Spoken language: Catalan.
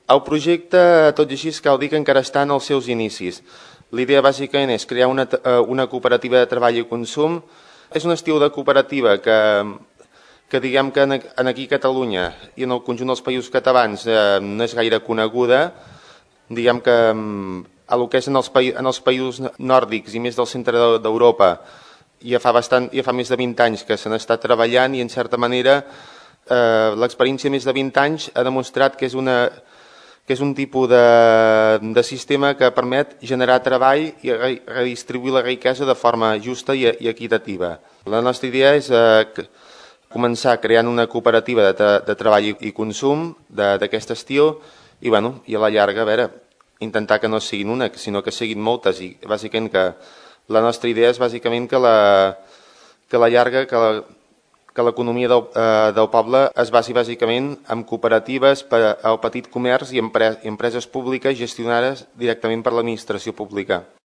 El projecte, tot i així, cal dir que encara està en els seus inicis. L'idea bàsicament és crear una cooperativa de treball i consum. És un estil de cooperativa que diguem que aquí a Catalunya i en el conjunt dels països catalans no és gaire coneguda. Diguem que a lo que és en els països nòrdics i més del centre d'Europa ja fa més de 20 anys que se n'està treballant i en certa manera l'experiència de més de 20 anys ha demostrat que és un tipus de sistema que permet generar treball i redistribuir la riquesa de forma justa i equitativa. La nostra idea és començar creant una cooperativa de treball i consum d'aquest estil i a la llarga, intentar que no siguin una, sinó que siguin moltes i bàsicament que la nostra idea és bàsicament que la llarga, que l'economia del poble es basi bàsicament en cooperatives per al petit comerç i empreses públiques gestionades directament per l'administració pública.